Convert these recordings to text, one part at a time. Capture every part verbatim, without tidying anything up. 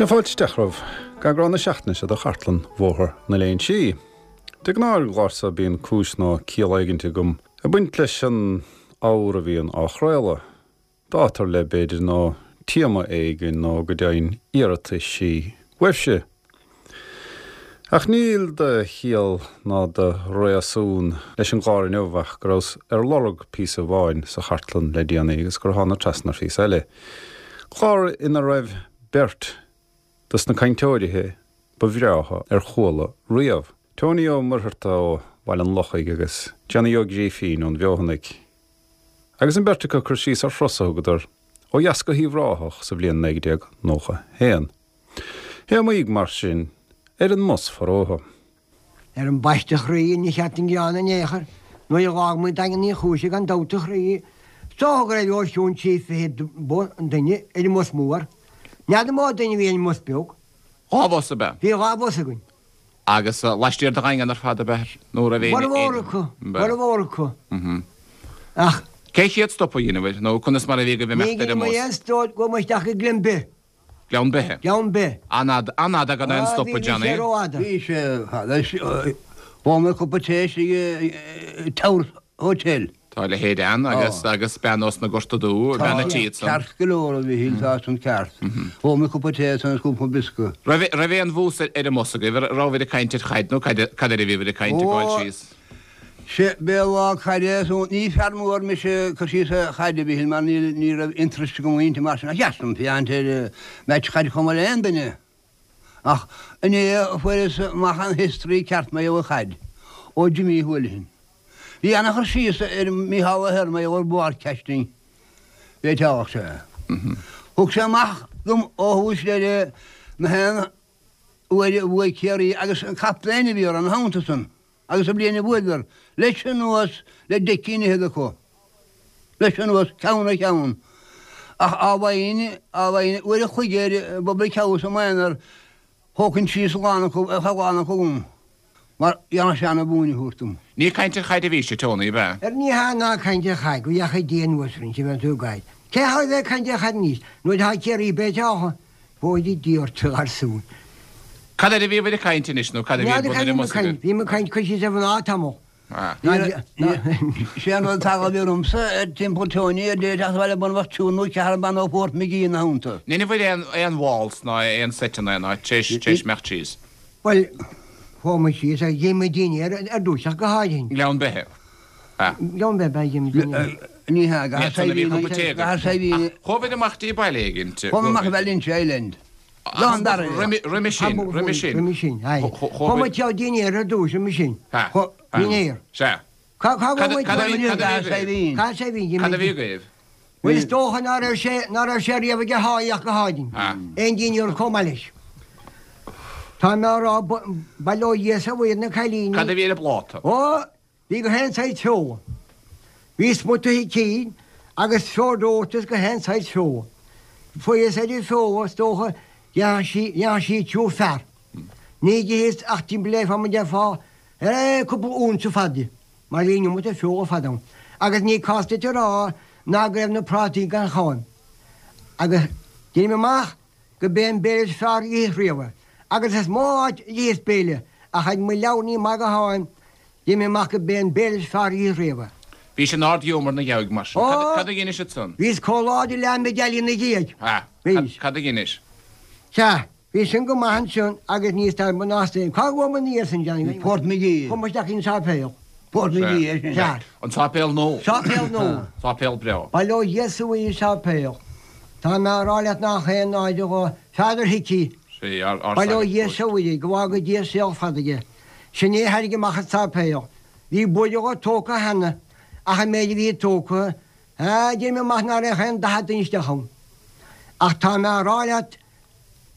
Sea, fáilte isteach romhaibh go eagrán na seachtaine seo de Chartlann Bhóthar na Léinsí. De ghnáth ar an gclár seo bíonn cúis nó ciall éigint agam ag baint leis an ábhar a bhíonn á chraoladh. Dáta ar leith b'fhéidir nó téama éigin nó go deimhin iarrataisí uaibhse. Ach níl de chiall ná de réasún leis an gclár inniu ach go rabhas ar lorg píosa amháin sa chartlann le déanaí agus gur thána trasna ar phíosa eile. Clár ina raibh beirt dos na cainteoirithe ba bhreátha ar chuala riamh. Tony Ó Muircheartaigh ó Bhaile an Lochaigh agus Johnny Ó Grífín ón Bhfeothanaigh. Agus an bheirt acu ag cur síos ar thuras a thugadar ó dheas go hUíbh Ráthach sa bhliain naoi déag nócha haon. Théamaígh mar sin ar an mbus forótha. Ar an bpaiste a chroí, ní cheart an gearán in aon chor, nuair a dh'fhág muid Daingean Uí Chúise gan dabht a chroí, is dócha go raibh os cionn trí fichid duine ar an mbus mór. N'fheadar an mó duine a bhí ar an mbus beag. Dhá bhus ab ea? Bhí dhá bhus againn. Agus laistiar de Dhaingean ar fad ab ea? Nó raibh aon. Formhór acu, formhór acu. Ach. Cé chéad stop a dheineabhair nó conas mar a bhí agaibh imeacht ar an mbus? Ní dhein muid aon stop, chuaigh muid isteach go Gleann Beith. Gleann Beithe. Gleann Beith. An-fhada, an-fhada gan aon stop a Johnny. Bhí sé rófhada. Bhí sé fada. Ól mé cupa tae istigh i Tower Hotel. Tá a leithéid ann agus agus bean ós na Gorta Dubh, bean a' tí ansan. Ceart go leor a Mhichíl, tá san ceart. Ól mé cupa tae ansan agus cúpla biosca. Raibh raibh aon bhús ar an mbus agaibh, rabhabhair ag caint ar chaid nó cad cad air a bhíobhair ag caint ag gabháil síos? Sé b'é lá caide so ní fear mór mise cur síos ar chaid a Mhichíl mar níl ní raibh interest agam inti mar sin ach dheas liom féachaint ar match chaide chomh maith le aon duine. Ach inné a fuaireas amach an history ceart mar gheall ar chaid ó Jimmy Houlihan. Bhí ana-chur síos ar Mícheál Ahern mar gheall ar broadcasting bhí teaghlach sé. Thug sé amach dom ó thús deireadh na haon uair a bhuaigh Ciarraí agus an captaen a bhí orthu ina theannta san. Agus an bhliain a bhuadar, leis anuas le deich gcinn fhichead acu. Leis anuas, ceann ar cheann. Ach á bhfaighinn, á bhfaighinn uair a chloig ar an bPublic House i m'aonar, thógfainn síos a lán acu, a lán acu agam, mar dhéanfadh sé ana-mhúineadh a thabhairt dom. Ní caint ar chaid a bhís, a Tony, ab ea? Ar ní hea ná caint ar chaid, go dheachaigh Dia anuas orainn, sin bheith tú ag gáire. Cé thá a bheith ag caint ar chaid anois, nuair atá Ciarraí béite Fóire Dia ort, a gharsúin. Cad air a bhíobhair ag caint anois nó cad a bhí ar bun ar an mbus agaibh? Bhí muid ag caint cur síos ar mhná tamall. Sé an rud atá a bhí ormsa ar timpeall Tony ar deireadh teacht abhaile bun bheadh triúr nó ceathrar ban ó Phort McGee ina theannta. Ndeineabhair aon aon waltz ná aon seit in aon áit tar éis tar éis imeacht síos? Bhuel, chuaigh muid síos agus dhein muid dinnéar ar dtús ach go háirithe. nGleann Beithe. Gleann Beithe, ba dhein muid dinnéar. Ní hea, go Cahersiveen. Chuabhair amach dtí baile éigin. Chuaigh amach go Valentia Island. Lán dara. Roimhe sin, roimhe sin. Roimhe sin, aye. Chuaigh muid chuig dinnéar ar dtús, roimhe sin. Dinnéar. Sea. Cá bhfuil muid? Cad a bhí agaibh? Cahersiveen. Cad a bhí agaibh? Bhuel, is dócha ná raibh sé, ná raibh sé riamh ag a sháith ach go háirithe. Aon dinnéar chomh maith leis. Tá mé á rá, bail ó Dhia is a Mhuire ar na cailíní. Cad a bhí ar an bpláta? Ó, Bhí gach aon saghas feola. Bhí smut sicín agus feoil reoite is gach aon saghas feola. Fuaireas ar an bhfeoil, is dócha, dhéanfadh sí, dhéanfadh sí triúr fear. Ní d'itheas ach timpeall é fá mar déarfá, eh, cúpla unsa fada di, mar bhí an iomarca feola fada ann. Agus ní cás duit a rá ná go raibh na prátaí gan cháim. Agus deinim amach go b'é an béile is fearr a d'itheas riamh é. Agus is mó áit a d'itheas béile, ach ar mo leabhar ní maith go háim, Deinim amach go b'é an béile is fearr a d'itheas riamh é. Bhís in ard-ghiúmar 'na dheabhaidh mar sin. Ó! Cad a dheinis ansan? Bhíos comh láidir le Ahmed Ali ina dhiaidh. Ha! Bhíos. Cad a dheinis? Sea, bhí sin go maith ansin agus níos tairbhe ná sin. Cá bhfuair muid ina dhiaidh sin, Johnny? Port McGee. Chuaigh muid isteach in Sáipéal. Port McGee, é sin. Sea. An Sáipéal Nua. Sáipéal Nua. Sáipéal breá. Bail ó Dhia is a Mhuire Sáipéal. Tá mé á rá leat nach aon náire dhó Peadar Hickey. Sea, ár Bail ó sagart Dhia is a Mhuire, go bhfága Dia saol fada aige. Sin é a thairrig amach an sáipéal. Bhí buille dhó tógtha cheana, ach an méid a bhí tógtha, ah, deinim amach ná raibh aon daichead duine isteach ann. Ach tá mé á rá leat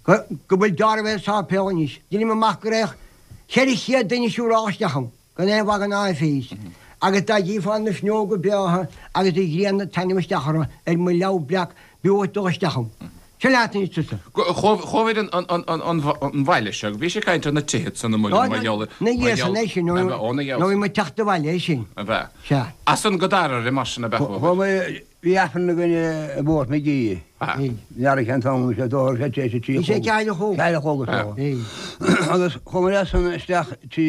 go, go bhfuil deáramh ar an sáipéal anois. Deinim amach go raibh ceithre chéad duine siúráilte isteach ann, gan aon mhagadh ná áiféis. Agus dá gcífeá na fuinneoga breátha agus an ghrian ag taitneamh isteach orthu, ar mo leabhar breac, b'fhiú dhuit dul isteach ann. Sin leat anois tusa. Chuabhair an bhaile seo, bhí sé ag caint ar na tithe san amuigh mar gheall ar. Na dhiaidh san é sin, nó bhí muid teacht abhaile é sin. Ab ea? Sea. As san go Darrara mar sin ab ea chuabhair? Chuaigh mé Bhí Aifreann againn i bPort McGee. N'fheadar cén t-am, bhí sé dóthair, sé tar éis a trí a Bhí sé chlog. ceathair a chlog. Ceathair a chlog is dócha. Agus chuamar as san isteach trí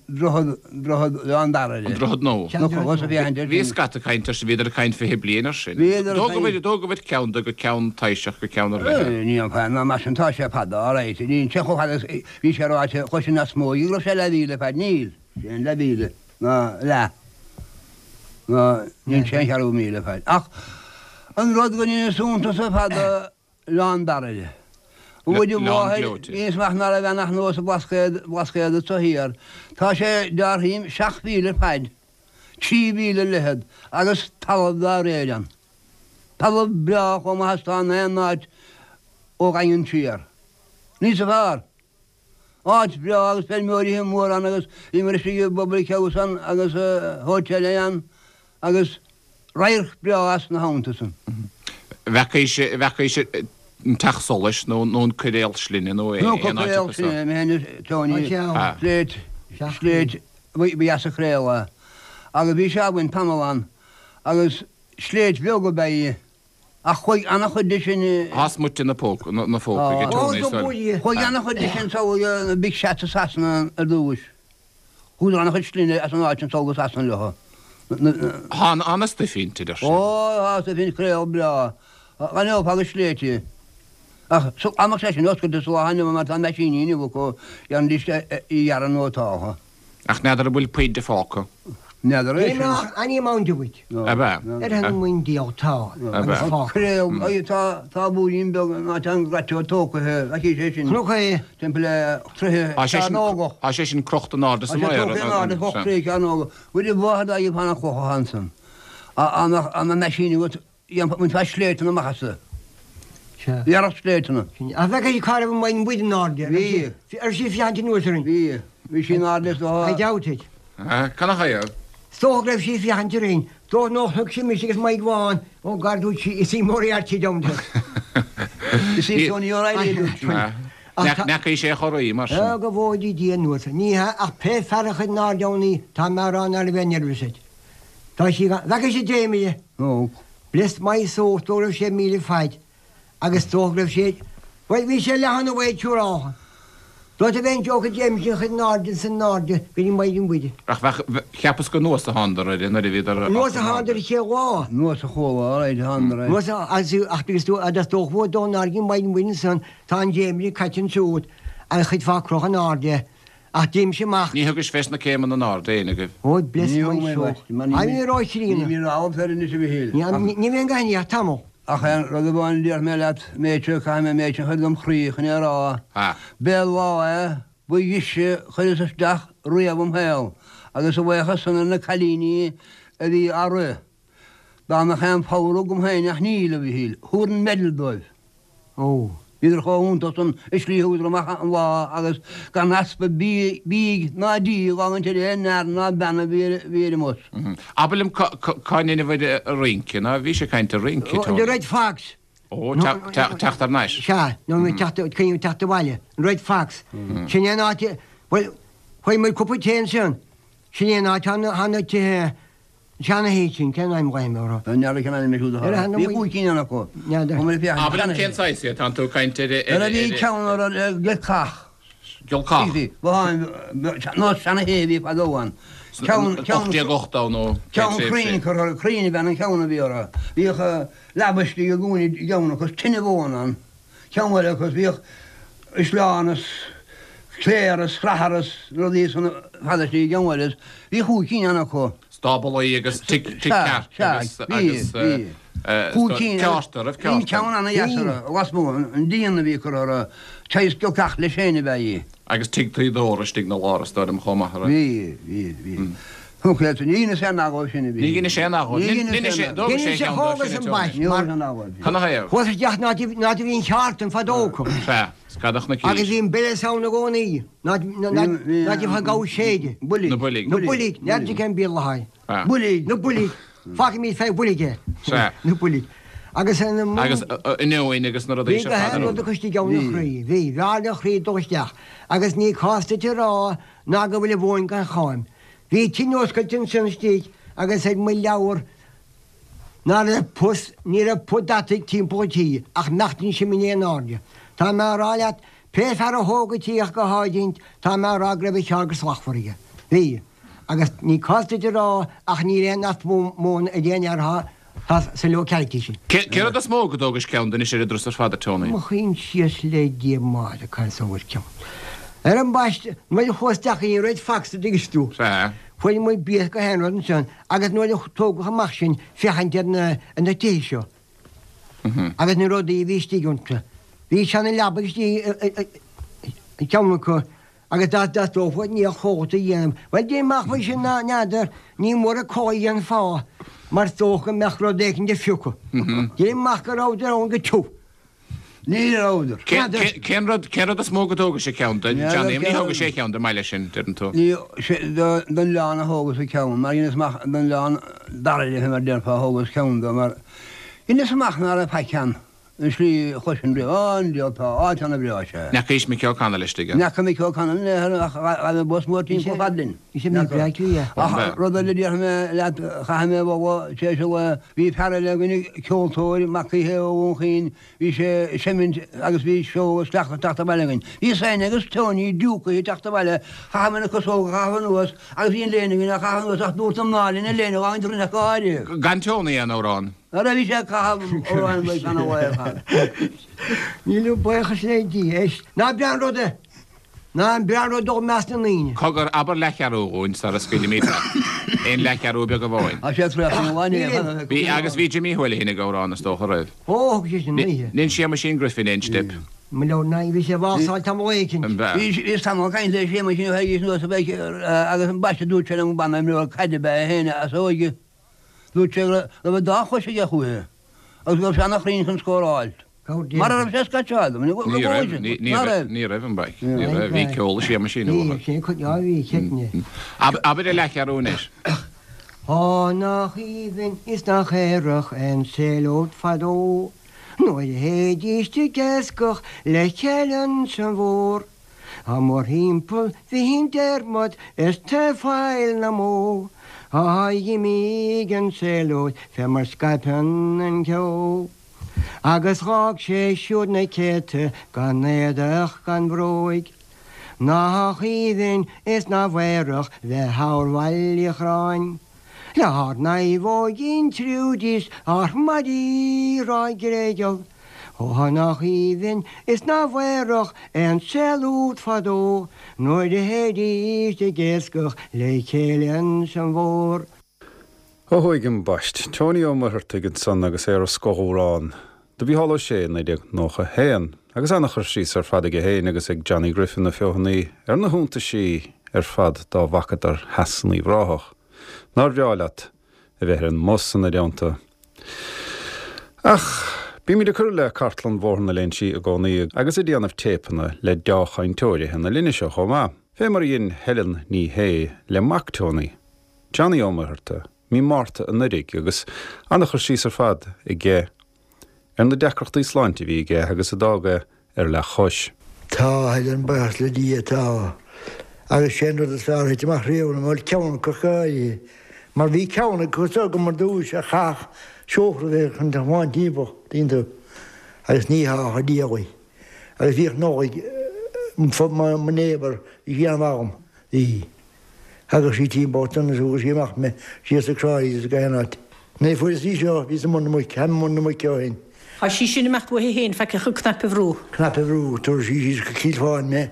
Droichead, Droichead Oileán Dara. An Droichead Nua. Nó chuas a bhí ann. Bhí scata ag caint air sin, bhíodar ag caint fiche bliain air sin. Bhíodar ag caint. D'fhógabhair ceann de go ceann taoiseach go ceann ar leith. Ní an fear ná mar sin, tá sé fada, alright. Níl sé chomh fada is bhí sé ráite, chuir sin as mó, go raibh sé leathmhíle fad, níl. Sé an leathmhíle ná leath. Ná níl sé aon cheathrú míle fad. Ach an rud go ndeineas iontas ar fad Oileán Dara. Bhuail an Oileán mháthair, gleoite. dheineas amach ná raibh ann ach nós an Blascaod, Blascaod anso thiar. Tá sé, déarfainn, seacht mhíle fad, trí mhíle leithead agus talamh dá réir ann. Talamh breá chomh maith is atá in aon áit ó Dhaingean siar. Níosa fearr. Áit bhreá agus feirmeoirí móra ann agus bhíomar istigh i bpublic house ann agus hotel ann agus radharc breá as na habhanta san. Bhfeacaís, bhfeacaís an teach solais nó nó an coiréal slinne nó Nó aon áit coiréal acu seo. slinne, mé féin Tony, Ah. sléit, sléit, ba dheas a chraoladh agus bhí sé againn tamall ann agus sléit bheag ab ea í. Ach chuaigh an-chuid de sin. Thá smuite na póca, na phóca ag Tony sar. Chuaigh an-chuid de sin sall na big shots i Sasana ar dtús. Chuadar an-chuid slinne as an áit sin sall go Sasana leo. Thá an-stuif inti deir Ó, thá stuif inti coiréal breá. Ghainneofá go sléibhte. Ach dá mbeadh sé sin oscailte sa lá inniu mar tá meaisíní inniu acu, dhéanfaidís í a ghearradh nó atá. Ach n'fheadar an bhfuil puinn de fágtha. N'fheadar é Ní sin. nach any amount of it. Ab ea? Ar an muin diabhal tá agus fágtha. Coiréal, tá tá búirín beag ná tá an graiteoir tógtha, aici sé sin. Cnoc é. Timpeall le troithe Tá sé sin cearnógach. tá sé sin crochta in airde sa Tá sé maor. tógtha in airde, ocht troigh cearnógach. Bhfuil i bhfad aghaidh fan an chlocha ansan. An meaisín agat, bhainfeá sléibhteanna amach as. Sea. Ghearrfadh sléibhteanna. Ach bheadh sí cá raibh an mhuin buid in airde. Bhí. Ar sí féachaint anuas orainn. Bhí. Bhí sí in airde is I doubt it. Cad a thaobh? Is dócha go raibh sí ag féachaint orainn. Dócha nár thug sí mise agus Mike Vaughan ó gar dúirt sí, is í Moriarty down there. Is í Tony O'Reilly dúirt sí. N'fheacaigh sé chorraí mar sin. Ó, go bhfóidí Dia anuas. Ní hea, ach pé fear a chuir in airde ann í, tá mé a rá ná raibh aon nervous air. Tá sí gan, bhfeacaigh sí Jamie. Ó. Bless my soul, is dócha go raibh sé míle faid agus is dócha go raibh sé, bhuel, bhí sé leath an mhaith siúráltha. Dóite a bheith an joke James sin chuir in airde san airde go dtí Maighdin Mhuire. Ach bheadh, cheapas gur anuas a thánadar air nuair a bhíodar. Anuas a thánadar an chéad lá. Anuas a chuala, alright, a thánadar air. Anuas a, agus ach agus tú, agus dócha go bhfuair dó in airde Maighdin Mhuire ansan, tá an James caite ansiúd agus chuid fá croch in airde. Ach d'imigh amach. Ní thugais fés na céimeanna in airde éinne agaibh. Oh, bless Ní my thug mé soul. bhaist, mar ní Ní raibh trína. Ní raibh ar anois a Mhichíl. Ní ní bhíonn gach ní ach tamall. Ach aon rud amháin a déarfaidh mé leat, méid seo, caithfidh mé méid sin a chur dom chroí chun é a rá. Ha. B'é lá é, ba dheise a chuireas isteach riamh im shaol, agus a bhuíochas san ar na cailíní a bhí á rith. Dá mbeadh aon phower agam féin ach níl, a Mhichíl, thabharfainn medal dóibh. Ó. Bhíodar chomh hiontach san i slí thugadar amach an lá agus gan easpa bídh ná dí a fhágaint ar aon fhear ná bean a bhí ar an mbus. Abair liom cá ndeineabhair rince, ná bhí sé ag caint ar rince, The Red Fox. Ó, teacht thar n-ais. Sea, nó teacht, coinneoidh teacht abhaile. An Red Fox. Sin é an áit, bhuel, chuaigh muid cúpla tae ansin. Sin é an áit, thá na tithe Seana-thithe sin, cén ainm dhaoine orthu? N'fheadar cén ainm é siúd atá. Bhí cúig cinn ann acu. Abair liom cén saghas iad, tánn tú ag caint ar. Nuair a bhí ceann orthu Giolcach. Giolcach? Nó seana-thithe a bhí fadó ann. Ceann, ceann. Ocht déag ochtó nó Ceann crainn curtha orthu, crainn a bhean an ceann a bhí orthu. Bhíodh leaba istigh i gcúinne i gceann acu, tine mhóna ann. Ceann eile acu, bhíodh sleán is cléir is srathair is rudaí san fada istigh i gceann eile. Bhí chúig cinn ann acu. Stáblaí agus tigh ceart agus ceárta, raibh ceárta. Bhí ceann ana-dheas orthu, lasmuigh, an díon a bhí curtha orthu, saghas giolcach leis féin ab ea í. Agus tigh tuíodóra istigh 'na lár is dóigh liom chomh maith, a raibh. Bhí, bhí, bhí. Thug sé, ní dheineas aon agóid sin a bhí. Ní dheineas aon agóid. Ní dheineas aon agóid. D'fhógair sé ceann dó sin, a Tony. Ní dheineas aon agóid. Cad 'na thaobh? Chuas isteach an áit a bhí an cheártain fadó acu. Sea. Scadach na cís. Agus bhí an bile ann i gcónaí. Ná bhí gabh séide. Builg. Na builg. Na builg. N'fheadar cén Béarla atá air. Builg. Na builg. Fágfaimid fé bhuilg é. Sea. Na builg. Agus an. Agus inneoin agus na rudaí Bhí seo gach fad aon rud acu istigh ann a chroí. Bhí. Bhí a chroí dul isteach. Agus ní cás duit a rá ná go bhfuil a mhóin gan cháim. Bhí tine oscailte ansin istigh agus ag mo leabhar Ná raibh pus, ní raibh pus deataigh timpeall an tí ach nach dtearn sé mine in airde. Tá mé a rá leat, pé fear a thóg an tí ach go háirínt, tá mé a rá go raibh a sheal go slachtmhar aige. Bhí. Agus ní cás duit a rá ach níl aon easpa móna ag aon fhear atá sa locality sin. Cén rud is mó go dtógais ceann de anois ar an dturas ar fad, a Tony? Mo choinsias le Dia Máire cá bhfuil ceann. Ar ambaiste, nuair a chuas isteach ní raibh fax a dtuigeann tú. Sea. Fuair muid bia go haon rud ansin agus nuair a tógadh amach sinn féachaint ar na ar na tithe seo. Agus na rudaí a bhí istigh iontu. Bhí seana leaba istigh i gceann acu agus dá dteastódh ní a chóta a dhéanamh. Bhuel, déan amach faoi sin ná n'fheadar, ní mór an codladh an fáth mar is dócha go mbeadh rud éicint ag fiuchadh. Déan amach go rabhadar ann go tiubh. Ní rabhadar. Cén rud, cén rud is mó go dtógais ceann de, Johnny? Ní thógais aon cheann de maille sin, deireann tú. Ní, don oileán a thógas an ceann, mar dheineas amach don oileán dara léi mar déarfá a thógas ceann de mar dheineas amach ná raibh faic ann. An slí a chloisinn riamh, Á, an diabhal tá, áit ana-bhreá is ea. N'fheacaís Mickey O'Connell istigh ann. N'fheaca Mickey O'Connell in aon chor ach ghabh an bus mór timpeall fad linn. Bhí sé breá cliath. Ach rud eile a déarfaidh mé leat, chaithfidh mé a mholadh, tar éis an lae, bhí fear eile againn, ceoltóir, mac Uí Shé ó Dhún Chaoin, bhí sé ag seimint agus bhí seó agus cleachtadh ag teacht abhaile againn. Bhí féin agus Tony diúcaithe ag teacht abhaile, chaitheamar na casóga a chaitheamh anuas agus bhí an léine againn á chaitheamh anuas ach dúirt na mná linn an léine a fhágaint roinn ach go háirithe. Gan Tony aon amhrán. Nuair a bhí sé ag caitheamh amhráin ba sean a ar fad. Míle buíochas le Dia, éist, ná breá an rud é! Ná an breá an rud dul i measc na ndaoine. Cogar, abair leathcheathrú dhúinn sara scaoilimid leat. Aon leathcheathrú beag amháin. Tá sé tríocha na lá inné. Bhí, agus bhí Jimmy Houlihan ag amhrán is dócha roimh. Ó, thug sé sin oíche. Dhein Séamuisín Griffin aon steip. Mo leabhar ná bhí sé ag válsáil tamall éicint. An b'ea? Bhí, bhíos tamall ag caint le Séamuisín ó théigís anuas a bheidh, agus ambaiste dúirt sé liom banna imreoir caide ab ea é féin as a óige. Dúirt sé go raibh an dá chois aige chúiche agus go raibh sé ana-chruinn chun scóráil. Mara raibh sé scaitseáil dom, Ní raibh, ní raibh, ní raibh an baic. Ní raibh, bhí ceol ag Séamuisín uathu. Bhí, sin, á bhí, ceitin. Abair a leathcheathrú anois. Á nach aoibhinn is nach aerach an saol úd fadó, nuair a théidís ag iascach le chéile ansan mhór. Á mórthimpeall bhí an dearmad is taobh Faill na mbó. Á dh'imigh an saol úd fé mar scaipeann an ceo. Agus dh'fhág sé siúd na céadta gan éadach gan bhróig. Nach aoibhinn is nach aerach bheith thall Bhaile Uí Chorráin. Le hár naomhóigín Trudy 's ár maidí Ráth Gréigeal. Ó nach aoibhinn is nach aerach é an saol úd fadó, nuair a théidís ag iascach le chéile ansan mhór. Ó thuaidh ambaist, Tony Ó Muircheartaigh ansan agus é ar a scothamhrán do Mhícheál Ó Sé naoi déag nócha a haon, agus ana-chur síos ar fad aige féin agus ag Johnny Griffin na Feothanaí ar na hiontaisí ar fad dá bhfacadar theas in Uíbh Ráthach. Nár bhreá leat a bheith ar an mbus ina dteannta? Ach bímid ag cur le cartlann Bhóthar na Léinsí i gcónaí agus ag déanamh téipeanna le deá-chainteoirithe na linne seo chomh maith, fé mar a dhein Helen Ní Shé le mac Tony, Johnny Ó Muircheartaigh, mí Márta anuraidh agus ana-chur síos ar fad aige ar na deacrachtaí sláinte a bhí aige agus a d'fhág é ar leathchois. Tá, a Helen, buíochas le Dia, tá. Agus sé an rud is fearr a thit amach riamh liom, bhuel, ceann acu go háirithe. Mar bhí ceann acu is agam ar dtúis a chaith seofra a bheith chun tiomáint timpeall, tuigeann tú, agus ní hea ach a diabhal. Agus bhíodh Nollaig, mo neighbour, bhí sí an-mhaith dhom, bhí. Thagadh sí timpeall ansan is thugadh sí amach mé síos ag Cráí is ag aon áit. Nuair a fuaireas í seo, bhíos i mbun na muice, táim i mbun na muice ó shin. Tá sí sin ag imeacht uaithi féin faic ach an cnaipe a bhrú. Cnaipe a bhrú, tabharfaidh sí síos go Cill Fáin mé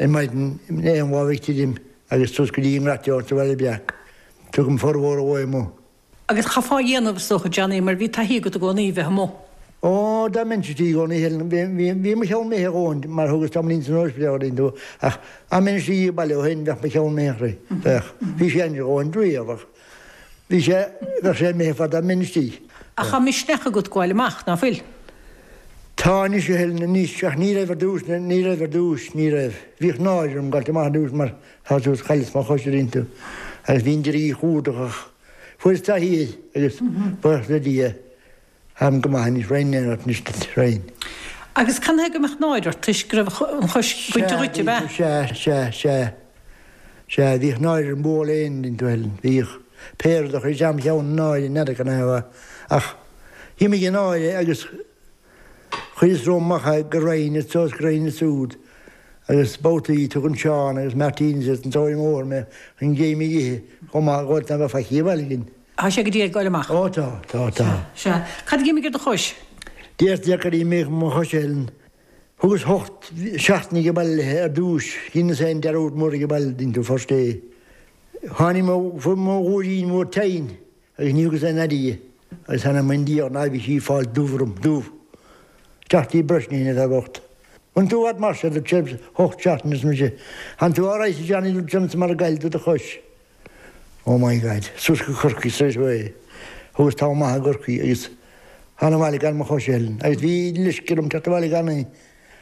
ar maidin in aon lá a bheidh tirim agus suas go dtí an nGrateoir sa Bhaile Breac. Tugaim formhór an lae amuigh. Agus chaithfeá a dhéanamh, is dócha, Johnny, mar bhí taithí agat i gcónaí a bheith amuigh. Ó, dá mbeinnse istigh i gcónaí, Helen, bhí, bhí, bhí mo cheann imithe dhóin mar thugas tamaillín san ospidéal a tú, ach dá mbeinn istigh ag baile ó shin, bheadh mo cheann imithe, bheadh. Bhí sé ainsealach dhóin riamh ach bhí sé, bheadh sé imithe fad dá mbeinn istigh. Ach tá misneach agat gabháil amach, ná fuil? Tá anois, a Helen, anois, ach ní raibh ar dtús, ní raibh ar dtús, ní raibh. Bhíodh náire orm gabháilt amach ar dtús mar tá tú, chailleas mo chois a dtuigeann tú, agus bhínn ag iarraidh í chumhdach ach fuaireas taithí air agus buíochas le Dia, Táim go maith anois, Roinn aon ort anois duit, Roinn. Agus canathaobh go mbeadh náire ort toisc go raibh an chois bainte dhuit, ab ea? Sea, sea, sea, sea, bhíodh náire orm bualadh aon duine, bhuel, bhíodh. Pé rud a chuir isteach im cheann náire, n'fheadar canathaobh ach d'imigh an náire agus chuireas romham amach é go raghainn anso is go raghainn ansúd agus babhtaí tugann Seán agus Martin is an tóir mór mé chun géim a ithe chomh maith dhóibh ná bheadh faic abhaile againn. Tá sé go dtí ag goil amach? Ó tá, tá, tá. Sea. Cad a d'imigh ar do chois? Deirtear gur imigh mo chois Helen. Thugas hocht seachtaine age baile léi ar dtúis, dheineas féin dearúd mór age baile dhein tú first é. Tháinig mo fuair mo ghuaillín mór tinn agus ní thugas aon aire di agus tháinig mo ndiaidh ná bhí sí ag fáil dubh orm, dubh. Isteach dtí Breifne an fear bocht. An tú fhad mar seo dúirt sé hocht seachtaine arsa mise. Tánn tú alright a Johnny dúirt sé mar a ghoill do do chois. Oh my God, suas go Corcaigh straight away. Thugas tamall maith i gCorcaigh agus thána abhaile gan mo chois Helen agus bhí leisce orm teacht abhaile gan í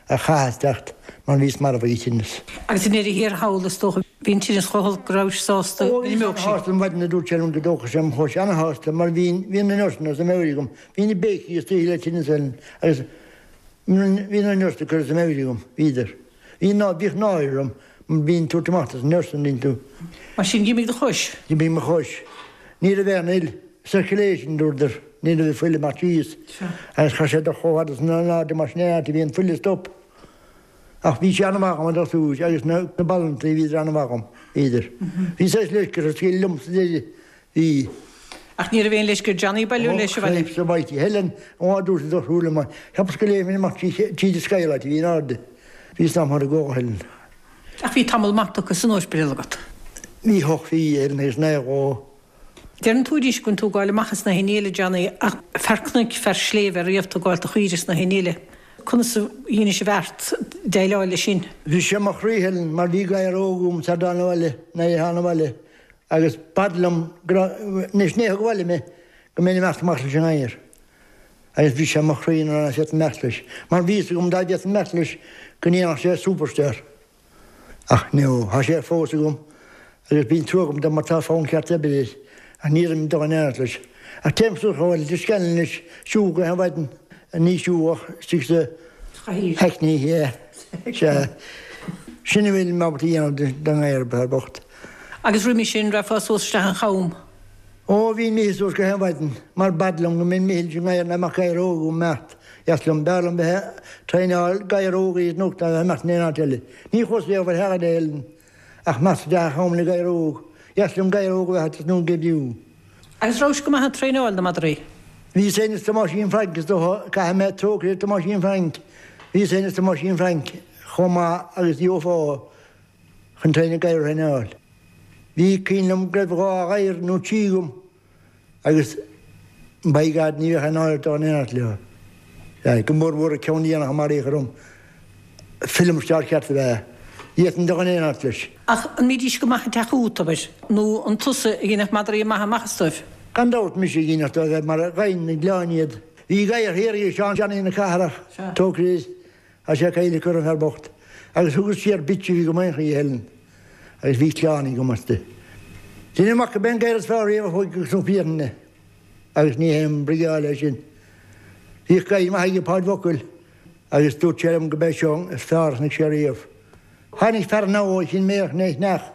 ach chaitheas teacht mar bhíos marbh ag an tinneas. Agus i ndeireadh thiar thall is dócha bhí an tinneas chomh holc go rabhais sásta Ó go bhíos n-imeodh sí. ana-shásta an mhaidin a dúirt sé liom go dtógfadh sé mo chois, ana-shásta mar bhí bhí na nurseanna as a meabhair agam, bhí na béicigh istoíche le tinneas Helen agus bhí na nurseanna curtha as a meabhair agam, bhíodar. Bhí ná bhíodh náire orm mar bhínn ag tabhairt amach dos na nurseanna an dtuigeann tú. Mar sin d'imigh do chois? D'imigh mo chois. Ní raibh aon fhuil. Circulation, dúradar. Ní raibh fuil ag imeacht síos. Agus chaith sé do chomh fada san an airde mar sin é áit a bhí an fuil ag stop. Ach bhí sé an-mhaith agam an dochtúir agus na na balontaí bhíodar an-mhaith agam, bhíodar. Bhí saghas leisce orthu scaoileadh liom sa deireadh. Bhí. Ach ní raibh aon leisce ar Johnny bailiú Ó, leis abhaile. Cripes almighty. Helen, ó, dúirt an dochtúir liom, cheapas go léimfinn amach trí tríd an skylight a bhí in airde. Bhíos am thar a gcomhair, Helen. Ach bhí tamall maith tugtha san ospidéal agat. Bhí hocht mhí, Helen, agus naoi dhó. Deireann tú arís go bhfuil tú ag gabháil amach is na haon eile, Johnny, ach fear cnoic, fear sléibhe riamh tú ag gabháil do chaoire is na haon eile. Conas a dheinis an bheart déileáil leis sin? Bhris sé mo chroí, Helen, mar bhí gadhar óg agam sar dtána abhaile, nuair a thána abhaile, agus b'fhada liom go raibh, anois ní thug abhaile mé, go mbeinn imeacht amach leis an ngadhar. Agus bhris sé mo chroí nuair nach bhféadfainn imeacht leis, mar bhí fhios agam dá bhféadfainn imeacht leis go ndéanfadh sé superstar. Ach no, tá sé fós agam agus bíonn trua agam dó mar tá fonn ceart oibre air, ach ní raibh dul in éineacht leis. Ach téim suas chomh fada le Scanlon anois, siúl gach aon mhaidin, ní siúl ach istigh sa Hackney, yeah, sea. Sin a bhfuil mé ábalta a dhéanamh don ngadhar, fear bocht. Agus roimhe sin, rachfá suas isteach an Cham? Ó, bhínn imithe suas gach aon mhaidin, mar b'fhada liom go mbeinn imithe leis an ngadhar ná mbeadh gadhar óg agam imeacht. Dheas liom, b'fhearr liom bheith ag traenáil gadhar óg a iad ná a bheith imeacht in aon áit eile. Ní chuas riamh ar holiday, Helen, ach imeacht isteach an Cham le gadhar óg. Dheas liom gadhar óg a bheith agat is nó go b'fhiú. Agus rabhais go maith ag traenáil na madraí? Bhíos féin is Tomáisín Frainc is dócha, caithfidh mé trócaire ar Tomáisín Frainc, bhíos féin is Tomáisín Frainc chomh maith agus gheofá chun traenáil gadhar a thraenáil. Bhí cuimhin liom go raibh dhá ghadhar nó trí agam agus by God ní bheadh aon náire dá n-éineacht leo. Go mór mhór an ceann déanach a maraíodh orm, film star ceart ab ea. D'fhéadfainn dul in éineacht leis. Ach an mbídís go maith ag teacht chugat, abair, nó an tusa a dhéanfadh madraí maithe amach astu? Gan dabht, mise a dhéanfadh dóibh mar ghaibh na gleann iad. Bhí gadhar thiar ag Seán Johnny na Cathrach, Trócaire air, tá sé caillte acu an fear bocht, agus thugas siar bitch a bhí go maith í Helen agus bhí clann agam aisti. Deinim amach go b'é an gadhar is fearr riamh a chuaigh go Cnoc Mhiathlainne agus ní haon briogáil é sin. Bhíodh gadhar maith aige Páid Mhocaill agus dúirt sé liom go b'é seo is fearr a chonaic sé riamh. Tháinig fear anall ó Chinn Méach né Chneach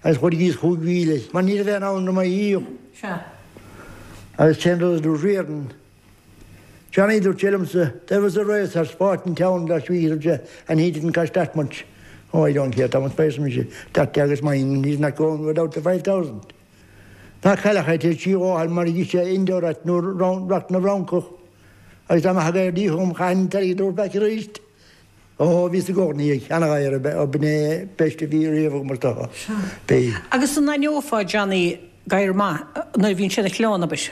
agus chuir thíos chúig mhíle mar ní raibh aon ann do mo dhíoth. Sea. Agus cén rud a dúirt Riordan? Johnny, dúirt sé liomsa, there was a racehorse bought in town last week, dúirt sé, and he didn't cost that much. Oh, I don't care, Thomas arsa mise, that dog is mine and he's not going without the five thousand. Ná cailleach é, téid sí dhó mar a dhith sé Indorate nó Racht na bhFrancach. Agus dá mbeadh gadhar díotha agam chaithfinn an t-airgead a thabhairt back arís. Ó, bhíos i gcónaí ag ana-ghadhar ab ea, b'in é best a bhí riamh agam is dócha. B'é. Agus an aithneofá, Johnny, gadhar maith nuair a bhíonn sé ina chlann, abair?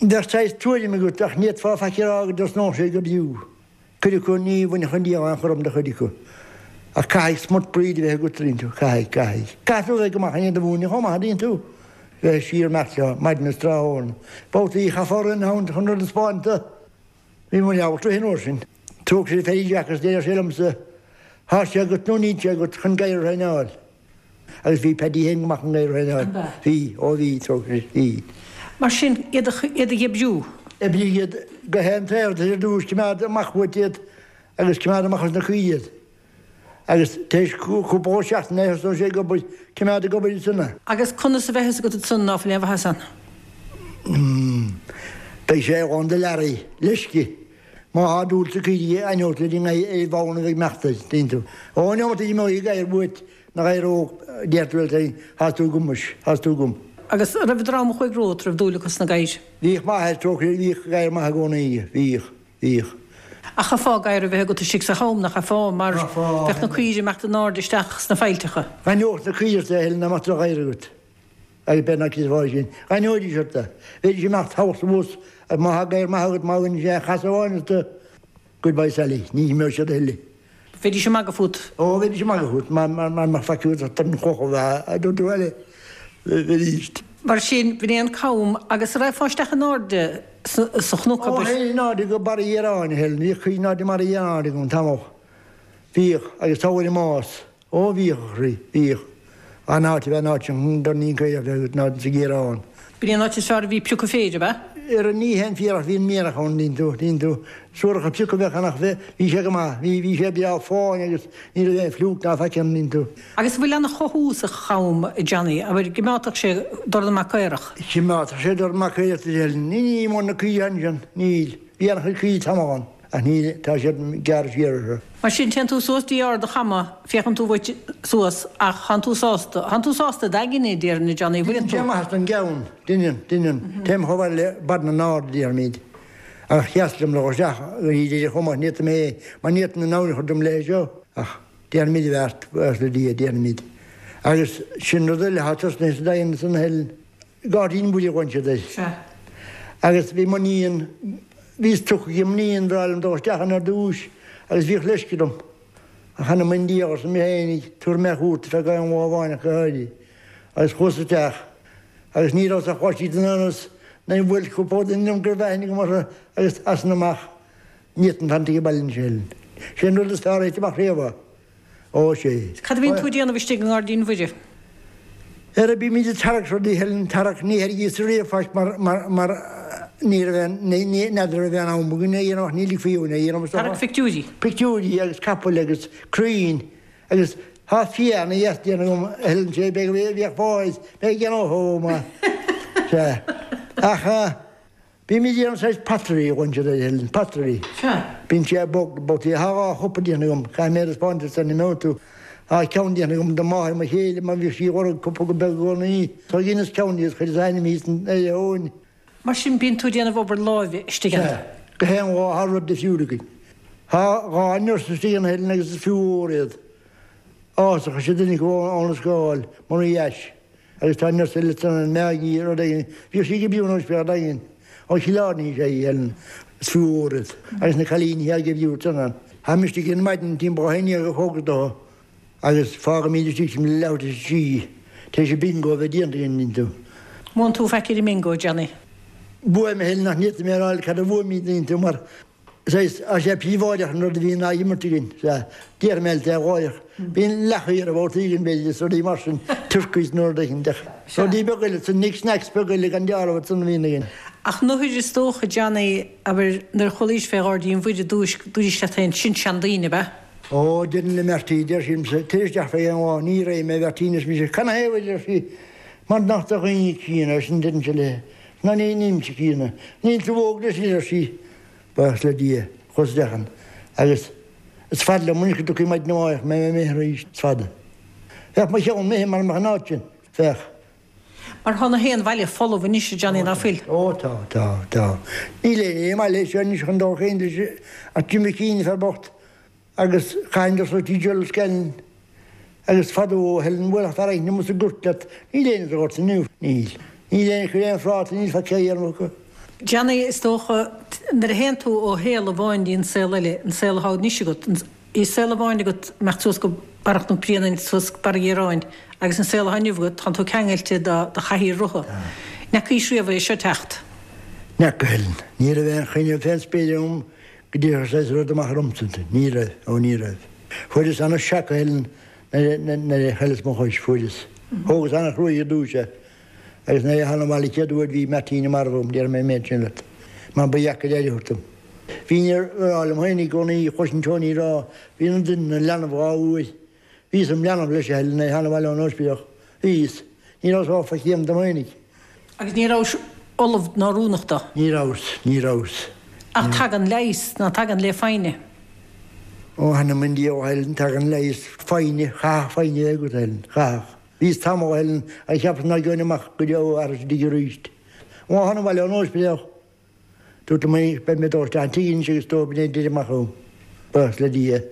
Bheadh saghas tuairim agat ach ní fhéadfá faic a rá go dtosnódh sé go b'fhiú. Cuid acu ní bhainfeadh an diabhal aon chúram de chuid acu. Ach caithfidh smut breed a bheith agat, an dtuigeann tú, caithfidh, caithfidh. Caithfidh tú a bheith go maith in iad a mhúineadh chomh maith, an dtuigeann tú. Bheith siar imeacht leo, maidin is tráthnóna. Babhtaí chaithfeá rith ann chun rud a 'spáint do. Bhí muid ábalta rith an uair sin. Trócaire ar Phaddy Jack agus deir sé liomsa, Thá sé agat nó níl sé agat chun gadhar a thraenáil. Agus bhí Paddy féin go maith chun gadhar a thraenáil. An b'ea? Bhí, ó bhí, trócaire, bhí. Mar sin, iad a, iad a dh'oibriú. Oibrigh iad go haon taobh, ar dtús, coimeád amach uait iad agus coimeád amach as na caoirigh iad. Agus tar éis cúpla seachtain thosnódh sé ag obair, coimeád ag obair ansan é. Agus conas a bheadh fhios agat ansan ná fuil aon mhaitheas ann? Beidh sé lán de learaí, leisce. Má thá dúil sa caoirigh aithneoidh tú ar an bhfonn a bheidh ag imeacht air, dtuigeann tú. Ó, an iomarca imeoidh gadhar uait, na gadhair óg, deir tú leat féin, thá tú agam muis, thá tú agam. Agus an raibh an dream a chuaigh romhat, raibh dúil acu sna gadhair? Bhíodh m'athair, trócaire air, bhíodh gadhar maith i gcónaí aige, bhíodh, bhíodh. Ach chaithfeá gadhar a bheith agat istigh sa cham, nach gcaithfeá, mar bheadh na caoirigh ag imeacht in airde isteach sna faillteacha. D'aithneodh na caoirigh ort é a Helen dá mbeadh droch-ghadhar agat. Agus b'fhéidir nach gcreidfeá sin. D'aithneoidís ort é. Bheidís ag imeacht thall is abhus agus má thá gadhar maith agat, má bhaineann sé chasadh amháin ort, goodbye Sally, ní imeoidh siad a thuilleadh. Bheidís ag magadh fút. Ó, bheidís ag magadh fút, mar mar mbeadh faic agat ach an chloch a bheith, a dúirt tú eile. Bheidís. Mar sin, b'in é an cam agus an raghfá isteach in airde sa chnoc, Ó, abair? théinn in airde go Barra Dhiaráin, a Helen, bhíodh cuid in airde i mBarra Dhiaráin agam tamall. Bhíodh, agus tabhair i mbás. Ó, bhíodh, a chroí, bhíodh. An áit a bheith an áit sin, dorn caorach a bheith agat, an áit sa Ghiarán. B'in é an áit is fearr a bhí piocadh féir, ab ea? Ar an ní haon fíor ach bhí an mianach ann, dtuigeann tú, dtuigeann tú. Suaracha piocadh a bheadh ann ach bhí sé go maith, bhí, bhí sé breá fáin agus ní raibh aon fliúc ná faic ann, dtuigeann tú. Agus an bhfuil ana-chothú sa cham, a Johnny, abair, gcimeádfadh sé dornán maith caorach? Chimeádfadh sé dornán maith caorach, a Helen. Ní, ní mór na caoirigh ansin, níl. Bhí an-chuid caoirigh tamall ann. Ach níl, tá siad gearrtha siar orthu. Mar sin, téann tú suas dtí Ard a' Chama, féachann tú uait suas, ach thánn tú sásta, thánn tú sásta i d'aigne, déarfainn, a Johnny, bhfuileann tú? Deineann sé maitheas don gceann, deineann, deineann. Téim chomh fada le Barr na nArd, a déarfaimid. Ach sheas liom le dhul isteach go dtí deireadh chomh maith, ní fhéadfainn é, mar ní fhéadfainn an abhainn a chur dom léi seo. Ach déanfaimid a bheart, buíochas le Dia, déanfaimid. Agus sin rud eile atá tosnaithe sa Daingean ansan a Helen. Gairdín Mhuire a ghlaonn siad air. Sea. Agus bhí m'iníon, bhíos tugtha ag m'iníon bhreá liom dul isteach ann ar dtúis agus bhíodh leisce orm. Ach anam i ndiaidh, arsa mé fhéinig, tabharfaidh mé cuairt ar feadh aon lá amháin ach go háirithe. Agus chuas isteach agus ní rabhas ach dhá slí den ionas nuair a bhuail cúpla duine liom go raibh aithne agam orthu agus as san amach ní fhéadfainn fanacht ag baile anois a Helen. Sé an rud is fearr a thit amach riamh é. Ó, sé. Cad a bhíonn tú a déanamh istigh i nGairdín Mhuire? Ara bímid ag tarrac rudaí, Helen, tarrac, ní thairgíos riamh faic mar, mar, mar ní raibh aon, ní, ní, n'fheadar raibh aon am againn é a dhéanamh ach ní ligfí dhúinn é a dhéanamh is dócha. Tarrac pictiúirí. Pictiúirí agus capaill agus crainn agus tá fia ana dheas déanta agam, a Helen, sé, beidh, bheadh fáil, beidh ag déanamh chomh maith. Sea. Ach. Bímid ag déanamh saghas pottery a ghlaonn siad air, Helen, pottery. Sea. Bíonn sé bog, bogtaí. Tá dhá chupa déanta agam, caithfidh mé a thaispeáint duit sula n-imeoidh tú. Tá ceann déanta agam do mháthair mo chéile mar bhíodh sí ag lorg cupa go beag i gcónaí. So dheineas ceann di agus chuireas a ainm thíos ar a thóin. Mar sin bíonn tú ag déanamh obair láimhe istigh ann. Sea. Gach aon lá tá rud difriúil againn. Tá dhá nurse istigh ann, Helen, agus is fiú ór iad. Áthasach is ea duine acu óna scáil, mura dheais. Agus tá nurse eile ansan, Maggie, rud éigin, bhíodh sí ag oibriú in Ospidéal Daingean, ó Chill Airne is ea í, Helen, is fiú ór iad. Agus na cailíní atá ag oibriú ansan. Táim istigh ar maidin timpeall a haon déag a chlog dó agus fágaimid istigh timpeall leathuair tar éis a trí, tar éis an bingo a bheith déanta againn, an dtuigeann tú. Mbuann tú faic ar an mbingo, Johnny? Buaim, a Helen, ach ní fhéadfaidh mé a rá cad a bhuaimid, an dtuigeann tú, mar Saghas, tá sé príobháideach an rud a bhíonn á imirt againn, sea, déarfaidh mé leat é láithreach. Bíonn leacaí ar an bhfótaí againn, b'fhéidir, is rudaí mar sin, turkeys nó rud éicint, ach rudaí beaga eile, san knick knacks beaga eile gan dealramh ansan a bhíonn againn. Ach nuair is dócha, Johnny, abair, nuair a chualaís fé Ghairdín Mhuire i dtús, dúraís leat féin, sin seandaoine, ab ea? Ó, deirim le Marty, deir sí liomsa, tar isteach feadh aon lá, ní raghaidh mé, a Mheairtín, arsa mise, canathaobh, a deir sí, mar nach do dhaoine críonna, ar sin deirimse léi, ná ní, nílimse críonna, níl tú óg anois, a deir sí. Buíochas le Dia, chuas isteach ann agus is fada liom anois go dtiocfaidh maidin amárach mé imithe arís, is fada. Bheadh mo cheann imithe mara mbeadh an áit sin, bheadh. Mar tá na haon bhaile folamh anois, a Johnny, ná fuil? Ó tá, tá, tá. Níl éinne i mbaile seo anois chun dul féin leis ach Jim McKean, fear bocht. Agus chaithfinn dul suas dtí Gerald Scanlon agus fadó a Helen bhuailfeadh fear éicint amuigh sa gort leat, níl éinne sa ghort inniu, níl. Níl éinne ag cur aon phráta, níl feicthe a dhéanamh acu. Johnny, is dócha, nuair a théann tú ó shaol amháin dtí an saol eile, an saol atá anois agat, bhí saol amháin agat imeacht suas go Barra Chnoc Bréanainn, suas go Barra Dhiaráin, agus an saol atá inniu agat, tánn tú ceangailte do do chathaoir rotha. N'fheacaís riamh é seo teacht? N'fheaca, Helen. Ní raibh aon choinne fén spéir agam Go dtitfeadh saghas rud amach ormsa. Ní raibh. Ó, ní raibh. Fuaireas ana-shock, a Helen, nuair a chailleas mo chois. Fuaireas. Thógas ana-chruaidh ar dtúis é. Agus nuair a thánag abhaile an chéad uair bhí Martina marbh agam, déarfaidh mé an méid sin leat. Mar ba dheacair aire a thabhairt dom. Bhínn ag rá liom féin i gcónaí, chloisinn Tony ag rá, bíonn an duine ina leanbh dhá uair. Bhíos im leanbh leis a Helen nuair a thána abhaile ón ospidéal. Bhíos. Ní rabhas áfach céim do m'oinigh. Agus ní rabhais ullamh ná oiriúnach dó? Ní rabhas, ní rabhas. Ach tagann leigheas, ná tagann le foighne? Ó, th'anam 'on diabhal a Helen, tagann leigheas, foighne, chaithfeadh foighne a bheith agat, a Helen, chaithfeadh. Bhíos tamall, a Helen, agus cheapas ná gheobhainn amach go deo arís istigh arís. Ó thána abhaile ón ospidéal, dúrt liom é, beidh mé ag dul isteach an tigh anois agus dó b'in é deireadh amach agam. Buíochas le Dia,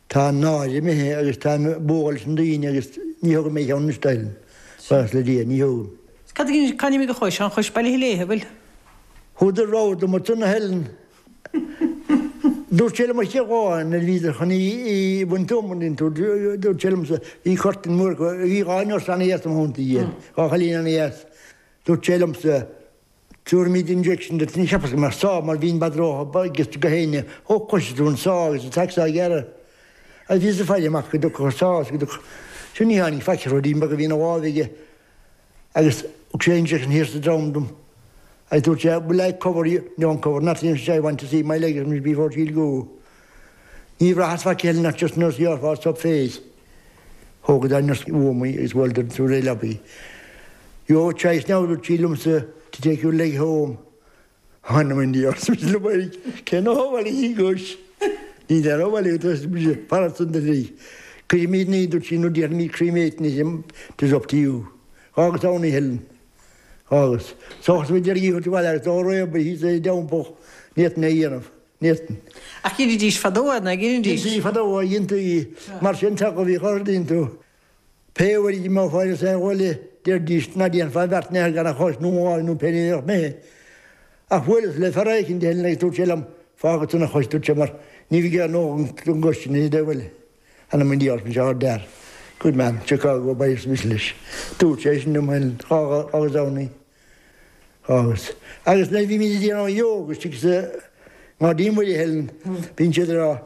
tá an náire imithe agus táim ag bualadh leis na daoine agus ní thógaim mé cheann anois, a Helen. Buíochas le Dia, ní thógaim. Cad a cá n-imigh do chois? An chois Baile Léithe, bhfuil? Thugadar rogha dom ansan a Helen. Dúirt sé liom an chéad lá nuair a bhíodar chun í a bhaint dom, an dtuigeann tú, dúirt sé liomsa, bhí curtain mór acu, bhí dhá nurse ana-dheas im theannta, dhá chailín ana-dheas. Dúirt sé liomsa, Tabharfaimid injection duit, ní cheapas go mbeadh sá mar bhíonn bad ró agus go héinne, ó cloisfidh tú an sá agus an tseac-sá a ghearradh. Agus bhíos ag faire amach go dtiocfadh an sá agus go dtiocfadh, sin ní tháinig faic, ruidín beag a bhí ina láimh aige agus thug sé injection thiar sa drom dom agus dúirt sé, will I cover you, don't cover nothing, I want to see my leg before she'll go. Ní bhraitheas faic eile ach just nurse ghearrfá sop face. Thógadar an nurse uaim í agus bhuaileadar an réidh leabaidh. Your choice now, dúirt sí liomsa, to take your leg home. Th'anam 'on diabhal, arsa mise liom féin, cén fáth a bhfuil í gcois? Ní deir ó bhaile go dtí mise fanacht san do thrí. Cuirfimid ní, dúirt sí, nó déarfaimid cremate it, it is up to you. Dh'fhágas ann í, Helen. Dh'fhágas. Sóchas muid ar dhícheall sa bhaile agus dá réabadh thíos é i dteampall, ní fhéadfainn é a dhéanamh. Ní fhéadfainn. Ach dheinidís fadó é, ná dheinidís? Dheintí fadó é, dheintí. Mar sin teach a bhíodh orthu, dtuigeann tú. Pé uair a d'imeofá ar an saol eile, deiridís, ná déanfá beart in aon chor gan an chois nó an láimh nó pé ní a bheadh imithe. Ach bhuaileas le fear éicint, a Helen, agus dúirt sé liom, fág ansan an chois, dúirt sé, mar ní bheidh aon ndóthain don gcois sin i dtaobh eile. Th'anam 'on diabhal, arsa mise, ard-fhear. Good man, Chicago, bye, arsa mise leis. Dúirt sé sin liom, a Helen, dh'fhágas ann í. Dh'fhágas. Agus nuair a bhímid ag déanamh an yoga istigh sa nGairdín Mhuire, a Helen, bíonn siad ag rá,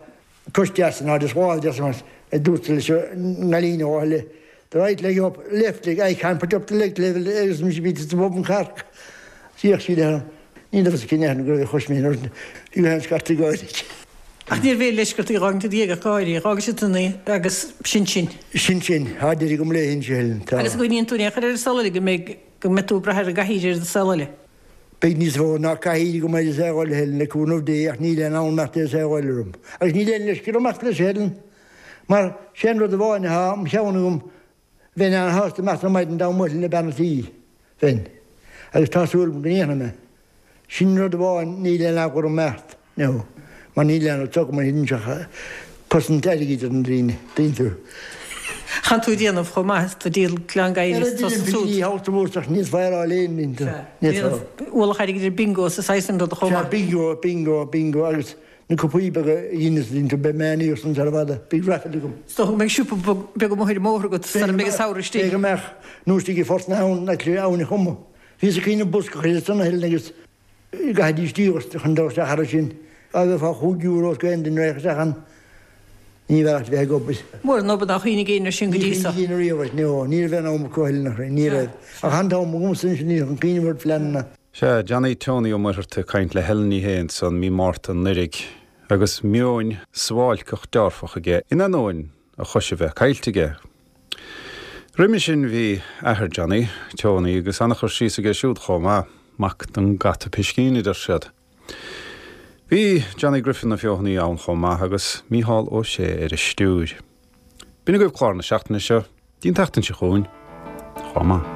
cois deas in airde is lámh deas mar a dúirt leis an gcailín ó Áth the right leg up, left leg, I can't put up the leg level agus mise bhí sa bhun carc. D'fhéach sí orm. Ní raibh fhios aici aithne go raibh a chois mé nuair bhí mé féin scairte gáire. Ach níorbh aon leisce ort í a dh'fhágaint id dhiaidh ach gáirí. Dh'fhágais ansan í agus sin sin. Sin sin. Tá deireadh agam léi anois, a Helen. Tá. Agus an gcuimhníonn tú in aon chor ar an saol eile go mbeidh, go mbeidh tú ag brath ar an gcathaoir ar an saol eile? Beidh níos mó ná cathaoir agam ar an saol eile, a Helen, le cúnamh Dé, ach níl aon fhonn imeacht ar an saol eile orm. Agus níl aon leisce orm imeacht leis, a Helen. Mar sé an rud amháin atá im cheann agam, bheinn an-shásta imeacht ar maidin dá mbuailfinn le bean an tí. Bheinn. Agus tá súil agam go ndéanfaidh mé. Sin rud amháin, níl aon eagla orm imeacht, no, mar níl aon rud agam a thuilleann cosaint airgid ar na daoine, dtuigeann tú. Chan tú ag déanamh chomh maith is tú ag díol glan gadhair is tusa súd. Ní hamharc mórtas ach níos fearr á léinn, dtuigeann tú. Sea, ualach airgid ar bingo is saghas an ruda chomh maith. Sea, bingo, bingo, bingo agus na cupaí beaga a dheineas, dtuigeann tú, beidh mé aníos ann sara bhfada, beidh raifil agam. Is dócha go mbeidh siopa beag amuigh ar an mbóthar agat sara mbeidh an samhradh istigh. Beidh go mbeadh, nó istigh i Phort na hAbhann, le Abhainn an Choma. Bhíos ag cuimhneamh bosca a chur ansan a Helen agus gcaithfidís díograis chun dul isteach thar sin. Dá bhfaighfeá chúig euro os aon duine a raghadh isteach ann, ní bheadh ort bheith ag obair. Mór an obair nár chuimhnigh éinne air sin go Ní dtí seo. chuimhnigh éinne riamh air, no, ní raibh aon am acu a Helen, ach ní raibh. Ach an t-am agamsa anois ní chun cuimhneamh ar phleananna. Sea, Johnny Tony Ó Muircheartaigh ag caint le Helen Ní Shé ansan mí Márta anuraidh agus meon suáilceach dearfach aige in ainneoin a chois a bheith caillte aige. Roimhe sin bhí athair Johnny, Tony, agus an-chur síos aige siúd chomh maith, mac don gcata piscín, a deir siad. Bhí Johnny Griffin na Feothanaí ann chomh maith agus Mícheál Ó Sé ar an stiúir. B'in agaibh clár na seachtaine seo, dtí'n tseachtain seo chugainn. Chomh maith.